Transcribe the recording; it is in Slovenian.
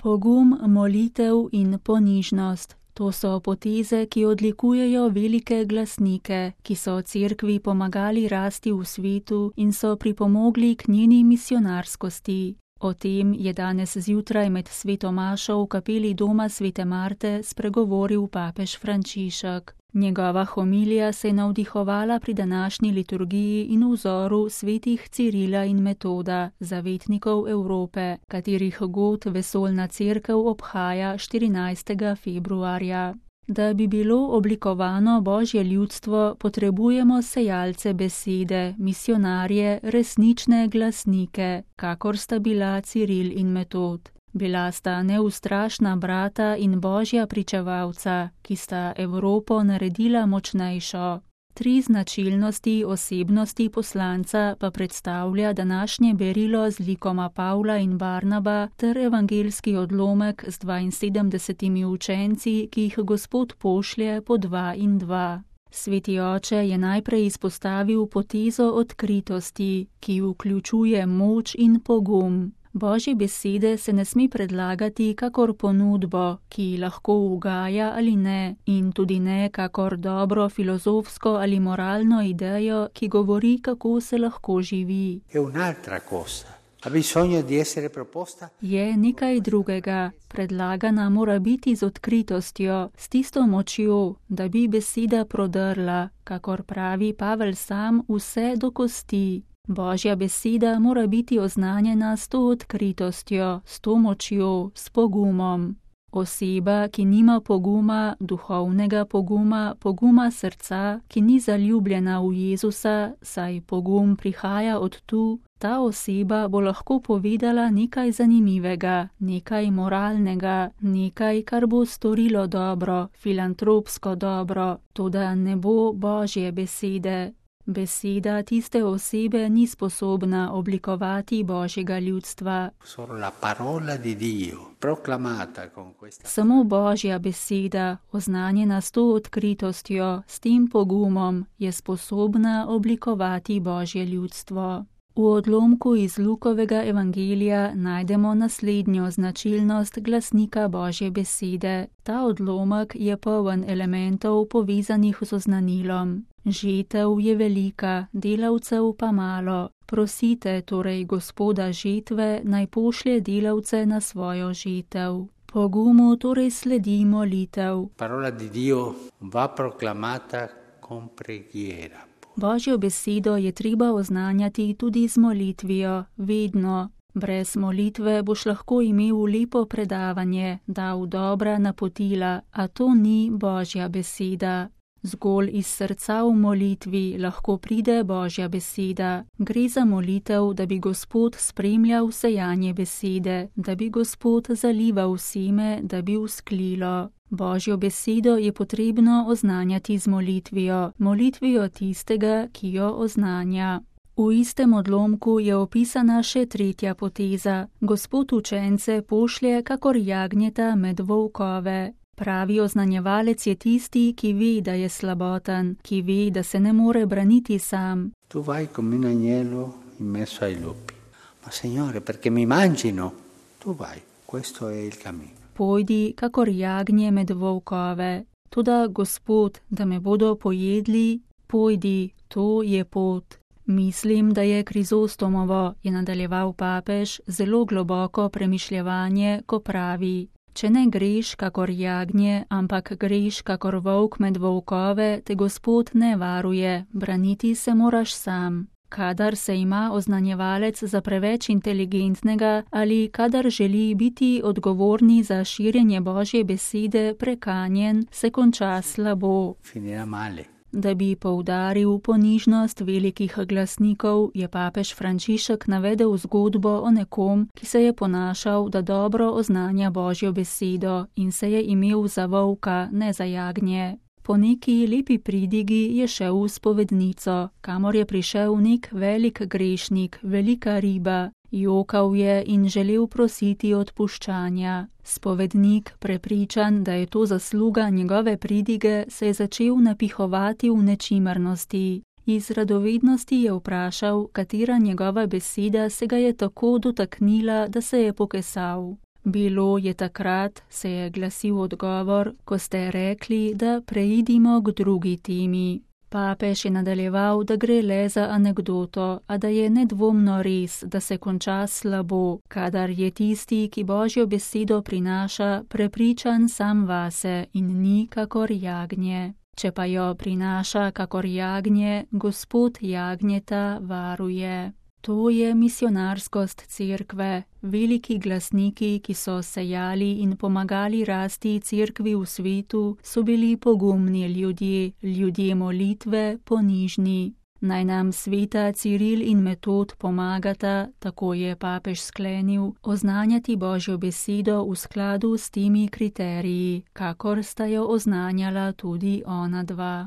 Pogum, molitev in ponižnost. To so poteze, ki odlikujejo velike glasnike, ki so cerkvi pomagali rasti v svetu in so pripomogli k njeni misionarskosti. O tem je danes zjutraj med sveto mašo v kapeli doma svete Marte spregovoril papež Frančišek. Njegova homilija se je navdihovala pri današnji liturgiji in vzoru svetih Cirila in Metoda, zavetnikov Evrope, katerih god vesoljna cerkev obhaja 14. februarja. Da bi bilo oblikovano Božje ljudstvo, potrebujemo sejalce besede, misionarje, resnične glasnike, kakor sta bila Ciril in Metod. Bila sta neustrašna brata in Božja pričevalca, ki sta Evropo naredila močnejšo. 3 značilnosti osebnosti poslanca pa predstavlja današnje berilo z likoma Pavla in Barnaba ter evangeljski odlomek z 72 učenci, ki jih Gospod pošlje po 2 in 2. Sveti oče je najprej izpostavil potezo odkritosti, ki vključuje moč in pogum. Božje besede se ne sme predlagati kakor ponudbo, ki lahko ugaja ali ne, in tudi ne kakor dobro filozofsko ali moralno idejo, ki govori, kako se lahko živi. Je nekaj drugega. Predlagana mora biti z odkritostjo, s tisto močjo, da bi beseda prodrla, kakor pravi Pavel sam, vse do kosti. Božja beseda mora biti oznanjena s to odkritostjo, s to močjo, s pogumom. Oseba, ki nima poguma, duhovnega poguma, poguma srca, ki ni zaljubljena v Jezusa, saj pogum prihaja od tu, ta oseba bo lahko povedala nekaj zanimivega, nekaj moralnega, nekaj, kar bo storilo dobro, filantropsko dobro, toda ne bo Božje besede. Beseda tiste osebe ni sposobna oblikovati Božjega ljudstva. Samo Božja beseda, oznanjena s to odkritostjo, s tem pogumom, je sposobna oblikovati Božje ljudstvo. V odlomku iz Lukovega evangelija najdemo naslednjo značilnost glasnika Božje besede. Ta odlomek je poln elementov povezanih z oznanilom. Žetev je velika, delavcev pa malo. Prosite torej Gospoda žetve, naj pošlje delavce na svojo žetev. Pogumu torej sledi molitev. Parola di Dio va proclamata con preghiera. Božjo besedo je treba oznanjati tudi z molitvijo, vedno. Brez molitve boš lahko imel lepo predavanje, dal dobra napotila, a to ni Božja beseda. Zgolj iz srca v molitvi lahko pride Božja beseda. Gre za molitev, da bi Gospod spremljal sejanje besede, da bi Gospod zalival seme, da bi vzklilo. Božjo besedo je potrebno oznanjati z molitvijo, molitvijo tistega, ki jo oznanja. V istem odlomku je opisana še 3. poteza. Gospod učence pošlje kakor jagnjeta med volkove. Pravi oznanjevalec je tisti, ki ve, da je slaboten, ki ve, da se ne more braniti sam. Tu vai come un agnello in mezzo ai lupi. Ma Signore, perché mi mangino? Tu vai, questo è il cammino. Pojdi kakor jagnje med volkove. Toda Gospod, da me bodo pojedli, pojdi, to je pot. Mislim, da je Krizostomovo, je nadaljeval papež, zelo globoko premišljevanje, ko pravi: če ne greš kakor jagnje, ampak greš kakor volk med volkove, te Gospod ne varuje, braniti se moraš sam. Kadar se ima oznanjevalec za preveč inteligentnega ali kadar želi biti odgovorni za širjenje Božje besede prekanjen, se konča slabo. Da bi poudaril ponižnost velikih glasnikov, je papež Frančišek navedel zgodbo o nekom, ki se je ponašal, da dobro oznanja Božjo besedo in se je imel za volka, ne za jagnje. Po neki lepi pridigi je šel v spovednico, kamor je prišel nek velik grešnik, velika riba. Jokal je in želel prositi odpuščanja. Spovednik, prepričan, da je to zasluga njegove pridige, se je začel napihovati v nečimrnosti. Iz radovednosti je vprašal, katera njegova beseda se ga je tako dotaknila, da se je pokesal. Bilo je takrat, se je glasil odgovor, ko ste rekli, da preidimo k drugi temi. Papež je nadaljeval, da gre le za anekdoto, a da je nedvomno res, da se konča slabo, kadar je tisti, ki Božjo besedo prinaša, prepričan sam vase in ni kakor jagnje. Če pa jo prinaša kakor jagnje, Gospod jagnjeta varuje. To je misionarskost cerkve, veliki glasniki, ki so sejali in pomagali rasti cerkvi v svetu, so bili pogumni ljudje molitve, ponižni. Naj nam sveta Ciril in Metod pomagata, tako je papež sklenil, oznanjati Božjo besedo v skladu s temi kriteriji, kakor sta jo oznanjala tudi ona dva.